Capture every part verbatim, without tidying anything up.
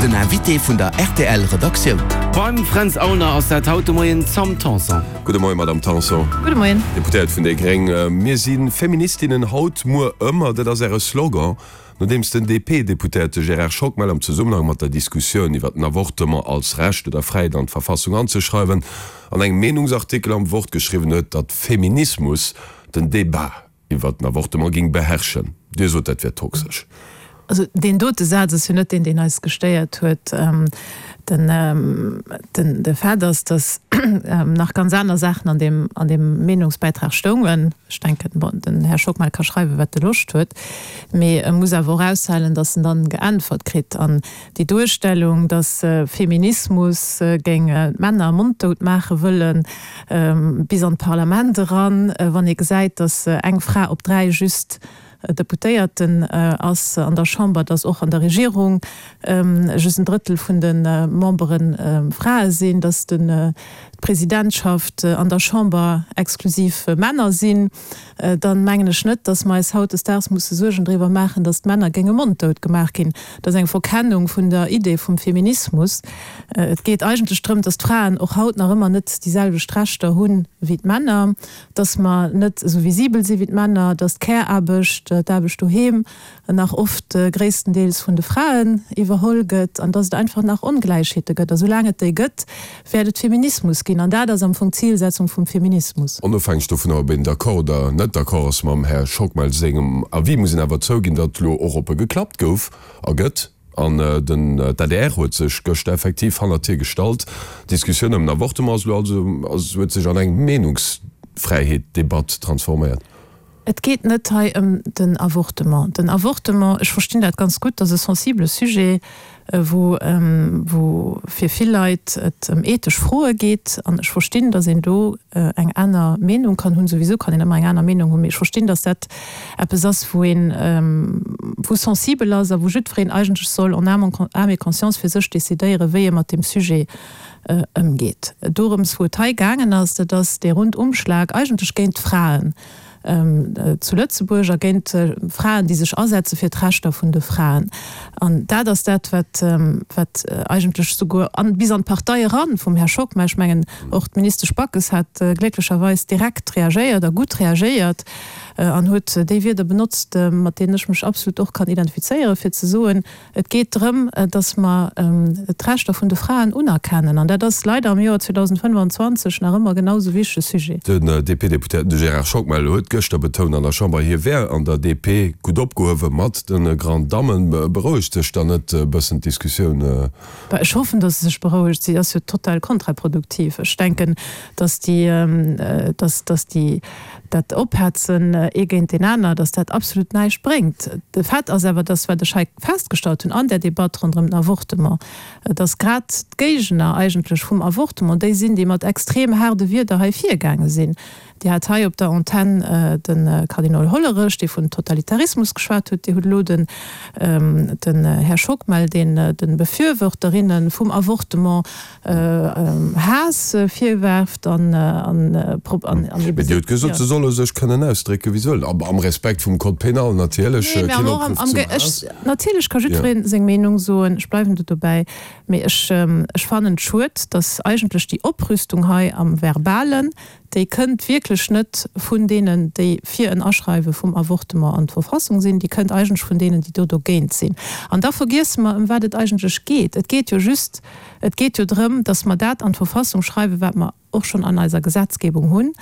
Den Invité vun der rtl Redaktioun. Beim Fränz Aulner ass dat haut de Moien d'Sam Tanson. Gudde Moien, Madamm Tanson. Gudde Moien. Deputéiert vun déi gréng. Mir si Feministinnen haut, muer, ëmmer, dat ass Äre Slogan. Nodeems den D P-Deputéierte Gérard Schockmel am Zesummenhang mat der Diskussioun iwwer den Avortement als Recht oder Fräiheet an d'Verfassung anzeschreiwen, an engem Meenungsartikel am Wort geschriwwen huet, datt Feminismus den Debat iwwer den Avortement géing beherrschen. Dir sot, dat wär toxesch. Also deen dote Saz ass jo net deen, deen eis gestéiert huet. Den, den, de Fait ass, datt nach ganz aner Saachen an deem, an deem Meenungsbäitrag stoungen. Ech denken, bon, den Här Schockmel ka schreiwen, wat e Loscht huet, mee e muss awer och aushalen, datt en dann geäntwert kritt. An déi Duerstellung, datt Feminismus géing d'Männer monddout maache wëllen, bis an d'Parlament eran, wann ee gesäit, datt eng Fra op dräi just Deputéierten ass an der Chamber, datt och an der Regierung just en Drëttel vun de Membere Frae sinn, datt d'Presidentschaft an der Chamber exklusiv Männer sinn, dann mengen ech net, datt mer eis hautdesdaags musse Suergen driwwer maachen, datt d'Männer géinge monddout gemaach ginn. Dat ass eng Verkennung vun der Idee vum Feminismus. Et geet eigentlech drëm, datt d'Fraen och haut nach ëmmer net déi selwecht Rechter hunn wéi d'Männer, datt mer net esou visibel si wéi d'Männer, datt d'Care-Aarbecht, d'Aarbecht doheem nach oft gréisstendeels vun de Fraen iwwerholl gëtt an datt et einfach nach Ongläichheete gëtt. A soulaang et déi gëtt, wäert et Feminismus ginn. An dat ass am Fong d'Zilsetzung vum Feminismus. Onofhängeg dovunner, ob een d'accord oder net d'accord ass mam Här Schockmel sengem Avis, muss een awer zouginn, datt elo och op e geklappt gouf a gëtt. An den d'A D R huet sech gëschter effektiv hannert hir gestallt. D'Diskussioun ëm den Avortement ass elo also huet sech an eng Meenungsfräiheet-Debatt transforméiert. Et geet net hei ëm den Avortement. Den Avortement, ech verstinn dat ganz gutt, ass e sensibele Sujet, wou wou fir vill Leit et ëm ethesch Froe geet. An ech verstinn, datt een do eng aner Meenung kann hunn. Souwisou kann een ëmmer eng aner Meenung hunn, mee ech verstinn, datt dat eppes ass, wou een wou sensibel ass a wou jiddwereen eigentlech soll en âme et conscience fir sech decidéieren, wéi e mat deem Sujet ëmgeet. Dorëms, wou et hei gaangen ass, dat ass dee Rundumschlag eigentlech géint d'Fraen zu Lëtzebuerg a géint Fraen, déi sech asetze fir d'Rechter vun de Fraen. An dat ass dat, wat wat eigentlech souguer an bis an d'Partei eran vum Här Schockmel, ech mengen och d'Ministesch Backes hat glécklecherweis direkt reagéiert a gutt reagéiert an huet déi Wierder benotzt, mat deenen ech mech absolut och kann identifizéieren, fir ze soen, et geet drëm, datt mer d'Rechter vun de Fraen unerkennen. An dat ass leider am Joer zweedausendfënnfanzwanzeg nach ëmmer genau esou wichtege Sujet. Den D P-Deputéierten de Gérard Schockmel huet gëschter betount an der Chamber, hie wär an der D P gutt opgehuewe mat de Grand Dammen. Berouegt sech dann net e bëssen d'Diskussioun? Bah, ech hoffen, datt se sech berouegt. Si ass jo total kontraproduktiv. Ech denken, datt déi, datt, datt déi, dat Ophetzen ee géint deen aner, datt dat absolut näischt bréngt. De Fait ass awer, datt, wat ech hei festgestallt hunn an där Debatt ronderëm den Avortement, datt grad d'Géigner eigentlech vum Avortement déi sinn, déi mat extrem haarde Wierder hei virgaange sinn. Dir hat hei op der Antenn de Kardinol Hollerich, dee vun Totalitarismus geschwat huet. Dir hutt elo den den Här Schockmel, deen de Befürworterinne vum Avortement Haass virwerft an an an Mee Dir hutt gesot, se solle sech kënnen ausdrécken, wéi se wëllen, am Respekt vum Code pénal natierlech. Nee, mee am am ech natierlech ka jiddweree seng Meenung soen, ech bleiwen do dobäi, mee ech ech fannen et schued, datt eigentlech déi Oprüstung hei am Verbalen, déi kënnt wierklech net vun deenen, déi fir en Aschreiwe vum Avortement an d'Verfassung sinn, déi kënnt eigentlech vun deenen, déi do dogéint sinn. An da vergiesse mer, ëm wat et eigentlech geet. Et geet jo just, et geet jo drëm, datt mer dat an d'Verfassung schreiwen, wat mer och schonn an eiser Gesetzgebung hunn.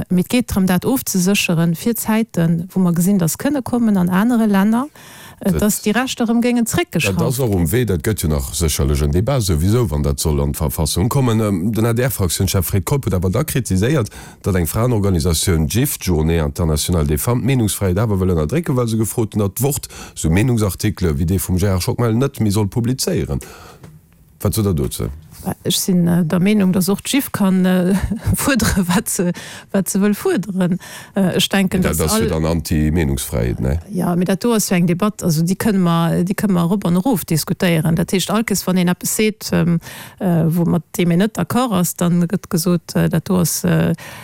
Mee et geet drëm, dat ofzesécheren fir Zäiten, wou mer gesinn, datt kënne kommen an anere Länner, datt déi Rechter erëm géingen Dat zréckgeschrauft ass och ginn. Um Wee. Dat gëtt jo nach sécherlech en Débat souwisou, wann dat soll an d'Verfassung kommen. Den A D R-Fraktiounschef Fred Keup huet awer da kritiséiert, datt eng Fraenorganisatioun, d'JIF, d'Journée internationale des femmes, d'Meenungsfräiheet awer wëll ënnerdrécken, well se gefrot hunn, datt d'Wort sou Meenungsartikele wéi dee vum Gérard Schockmel net méi soll publizéieren. Wat sot Der dozou? Ech sinn der Meenung, datt och d'JIF kann fuerdere wat se, wat se wëll fuerderen. Ech denken, datt all. Dat ass jo dann Anti-Meenungsfräiheet, nee? Jo, mee dat do ass jo eng Debatt, also déi kënne mer, déi kënne mer erop an erof diskutéieren. Dat heescht, all Kees wann een eppes seet, wou mat deem een net d'accord ass, da gëtt gesot, dat do ass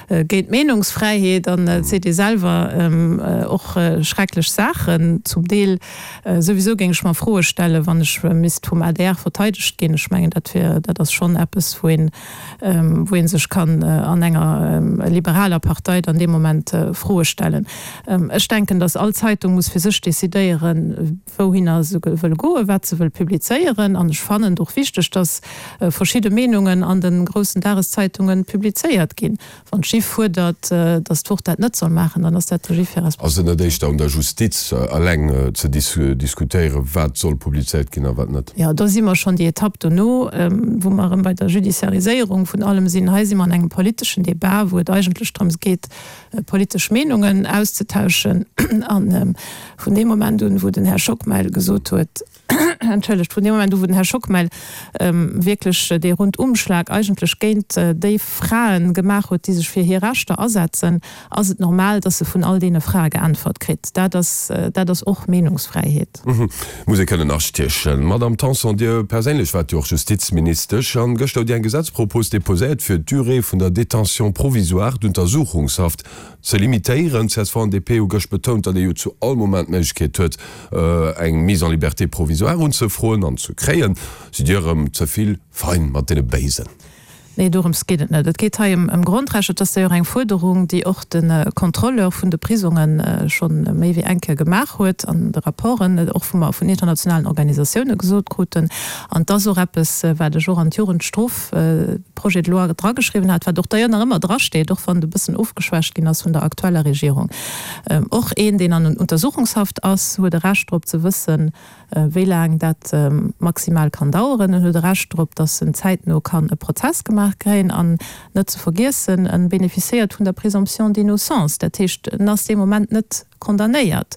géint d'Meenungsfräiheet an et seet ee selwer och schrecklech Saachen zum Deel. Souwisou géing ech mer Froe stellen, wann ech misst vum adr verteidegt ginn. Ech mengen, dat wier, dat ass schonn eppes, wou een, wou ee sech kann an enger liberaler Partei dann dee Moment Froe stellen. Ech denken, datt all Zeitung muss fir sech decidéieren, wouhinner se wëll goen, wat se wëll publizéieren. An ech fannen et och wichteg, datt verschidde Meenungen an de groussen Dageszeitungen publizéiert ginn. Wann d'JIF fuerdert, datt d'Wort dat net soll maachen, dann ass dat der JIF hir Ass et net éischter un der Justiz eleng ze diskutéieren, wat soll publizéiert ginn a wat net? Jo, do si mer schonn déi Etapp dono, wou mer erëm bei der Judiciariséierung vun allem sinn. Hei si mer an engem politeschen Debat, wou et eigentlech drëms geet, politesch Meenungen auszetauschen. A vun deem Moment un, wou den Här Schockmel gesot huet, entschëllegt, vun deem Moment u wou den Här Schockmel wierklech dee Rundumschlag eigentlech géint déi Frae gemaach huet, déi sech fir hir Rechter asetzen, ass et normal, dass e vun all deene Frae geäntwert kritt. Dat ass, dat ass och Meenungsfräiheet. Muss ee kënnen astiechen. Madamm Tanson, Dir perséinlech waart jo och Justizministesch an gëschter hutt Dir eng Gesetzpropos deposéiert, fir d'Durée vun der Détention provisoire, d'Untersuchungshaft, ze limitéieren. Csv an D P hu gëscht betount, datt ee jo zu all Moment d'Méiglechkeet huet, eng Mise en liberté provisoire unzefroen an ze kréien. Sidd Dir erëm ze vill fein mat deene Béisen? Nee, dorëms geet et net. Et geet hei ëm Grondrechter. Et ass d'ailleurs eng Fuerderung, déi och de Contrôleur vun de Prisonge scho méi wéi eng Kéier gemaach huet an de Rapporten, och wou mer vun internationalen Organisatioune gesot kruten. An et ass och eppes, wat ech och an d'Jugendstrof-Projet de loi drageschriwwen hat, wat och d'ailleurs nach ëmmer drasteet, och wann et e bëssen ofgeschwächt ginn ass vun der aktueller Regierung. Och een, deen an Untersuchungshaft ass, huet e Recht drop ze wëssen, wéi laang dat maximal kann daueren. En huet e Recht drop, datt en zäitno kann e Prozess gemaach kréien. An net ze vergiessen, en bénéficiéiert vun der Présomption d'innocence. Dat heescht, en ass dee Moment net condamnéiert.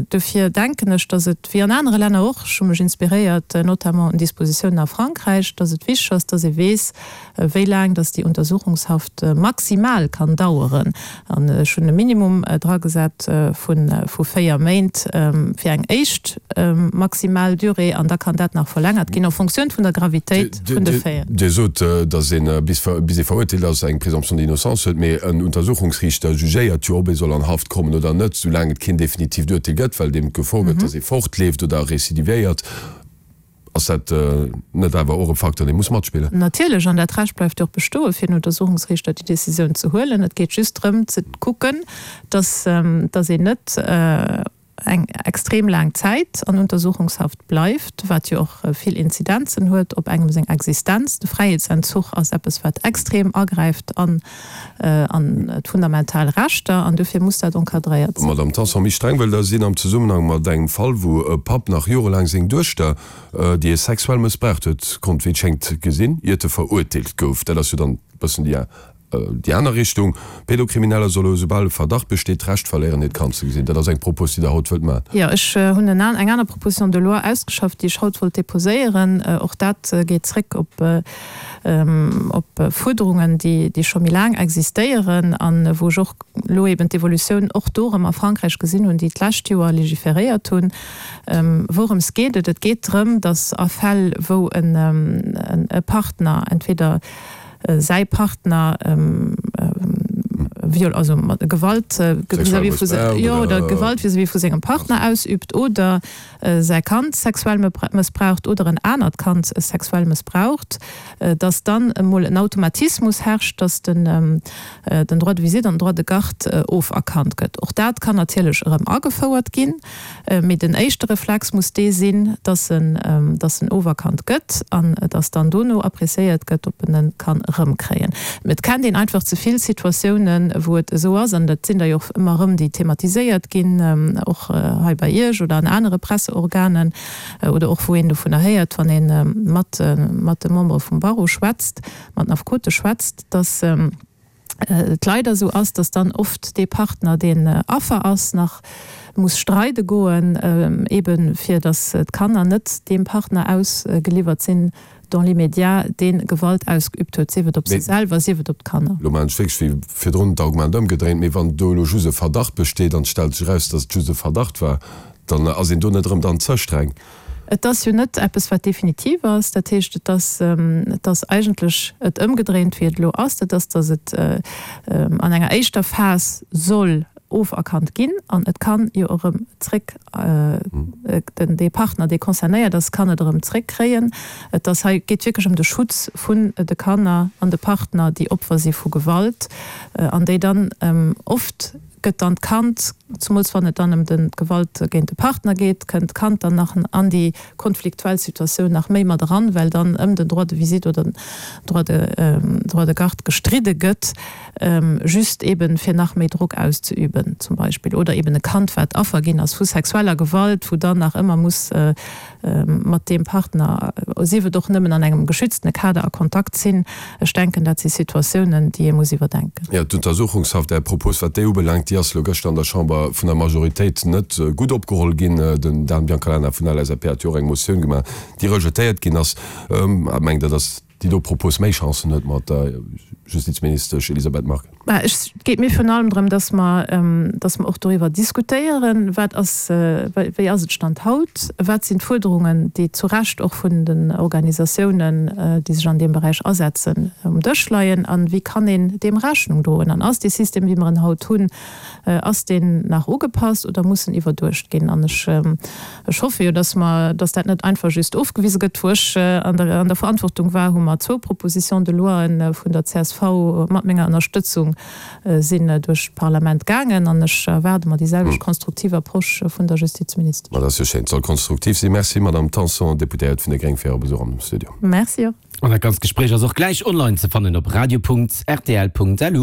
Dofir denken ech, datt et, wéi an anere Länner och, ech hu mech inspiréiert notamment un Dispositiounen a Frankräich, datt et wichteg ass, datt ee weess, wéi laang datt déi Untersuchungshaft maximal kann daueren. An ech hunn e Minimum dragesat vu véier Méint fir eng éischt maximal Durée, an da kann dat nach verlängert ginn en Fonctioun vun der Gravitéit vun de Faiten. Dir sot, datt een, bis ee verurteelt ass, eng Présomption d'innocence huet, mee en Untersuchungsriichter jugéiert jo, ob ee soll an Haft kommen oder net, soulaang et keen definitiivt Urteel gëtt, well deem d'Gefor gëtt, datt ee fortleeft oder recidivéiert. Ass dat net awer och e Facteur, dee muss matspillen? Natierlech, an dat Recht bleift jo och bestoen, fir den Untersuchungsriichter déi Décisioun ze huelen. Et geet just drëm ze kucken, dass een net eng extrem laang Zäit an Untersuchungshaft bleift, wat jo och vill Inzidenzen huet op engem seng Existenz. De Fräiheetsentzuch ass eppes, wat extrem agräift an d'fundamental Rechter, an dofir muss dat encadréiert sinn. Madamm Tanson, méi streng wëllt Der sinn am Zesummenhang mat engem Fall, wou e Papp nach jorelaang seng Duechter, déi e sexuell mëssbraucht huet, konnt, wéi et schéngt, gesinn, iert e verurteelt gouf. Dat ass jo dann e bëssen déi Déi aner Richtung, Pedokrimineller solle, esoubal e Verdacht besteet, d'Recht verléieren, hiert Kand ze gesinn. Dat ass eng Propos, déi Der haut wëllt maachen. Jo, ech hunn eng aner Proposition de loi ausgeschafft, déi ech haut wollt déposéieren. Och dat geet zréck op Fuerderungen, déi scho méi laang existéieren a wou ech och elo eben d'Evolutioun och do erëm a Frankräich gesinn hunn, déi d'lescht Joer légiféréiert hunn. Wourëms geet et? Et geet drëm, datt a Fäll, wou e Partner entweder säi Partner viol, also Gewalt vis-à-vis vu, jo, oder Gewalt vis-à-vis vu sengem Partner ausübt oder säi Kand sexuell mëssbraucht oder en anert Kand sexuell mëssbraucht, dass dann emol en Automatismus herrscht, dass den den Droit de visite an den Droit de garde oferkannt gëtt. Och dat kann natierlech erëm agefouert ginn, mee den éischte Reflex muss dee sinn, dass en, dass en oferkannt gëtt an dass dann dono appréciéiert gëtt, ob en e kann erëmkréien. Et kennt een einfach ze vill Situatiounen, wou et esou ass, an dat sinn der jo och ëmmer erëm, déi thematiséiert ginn, och hei bei Iech oder an anere Presseorganen, oder och wou een dovunner héiert, wann ee mat, mat de Membere vum Barreau schwätzt, mat den Affekote schwätzt, dass et leider esou ass, dass dann oft dee Partner, deen Affer ass, nach muss streide goen, eebe fir dass d'Kanner net deem Partner ausgeliwwert sinn, dans l'immédiat, dee Gewalt ausgeübt huet, sief et op si selwer, sief et op d'Kanner. Elo maachen ech wierklech wéi virdrun d'Argument ëmgedréint, mee wann do elo just e Verdacht besteet an et stellt sech eraus, datt et just e Verdacht war, dann ass een do net erëm dann ze streng? Et ass jo net eppes, wat definitiv ass. Dat heescht, et ass, et ass eigentlech et ëmgedréint, wéi et elo ass. Dat ass, datt et an enger éischter Phas soll oferkannt ginn an et kann jo erëm zréck, den, dee Partner, dee concernéiert ass, kann et erëm zréckkréien. Et ass hei, geet wierklech ëm de Schutz vun de Kanner an de Partner, déi Opfer si vu Gewalt an déi dann oft gëtt dann d'Kand, zumools wann et dann ëm den d'Gewalt géint de Partner geet, kënnt d'Kand dann nach an déi konfliktuell Situatioun nach méi mat eran, well dann ëm den Droit de visite oder den Droit de, Droit de garde gestridde gëtt, just eben fir nach méi Drock auszeüben zum Beispill, oder eben e Kand, wat Affer ginn ass vu sexueller Gewalt, wou dann nach ëmmer muss mat deem Partner, sief et och nëmmen an engem geschütztene Kader, a Kontakt sinn. Ech denken, dat si Situatiounen, déi ee muss iwwerdenken. Jo, d'Untersuchungshaft, Är Propos, wat déi ubelaangt, déi ass elo gëschter an der Chamber vun der Majoritéit net gutt opgeholl ginn. Den Dan Biancalana vun der LSAP hat jo och eng Motioun gemaach, déi rejetéiert ginn ass. Mengt Der, datt déi do Propos méi Chancen huet mat der Justizministesch Elisabeth Margue? Mä et geet mir virun allem drëm, datt mer, datt mer och doriwwer diskutéieren, wat ass, wéi ass et Stand haut, wat sinn d'Fuerderungen, déi zu Recht och vun den Organisatiounen, déi sech an deem Beräich asetzen, um Dësch leien a wéi kann een deem Rechnung droen. An ass dee System, wéi mer en haut hunn, ass deen nach ugepasst oder muss en iwwerduecht ginn? An ech, ech hoffe jo, datt mer, datt dat net einfach just ofgewise gëtt. Wou ech an der, an der Verantwortung war, hu mer zwou Propositions de loien vun der csv mat menger Ënnerstëtzung sinn duerch d'Parlament gaangen an ech erwaarde mer déi selwecht konstruktiv Approche vun der Justizministesch. Ma dat ass jo schéin. Et soll konstruktiv sinn. Merci, Madamm Tanson, Deputéiert vun de Gréng, fir Äre Besuch am Studio. Merci och. An dat ganzt Gespréich ass och gläich online ze fannen op radio.rtl.lu.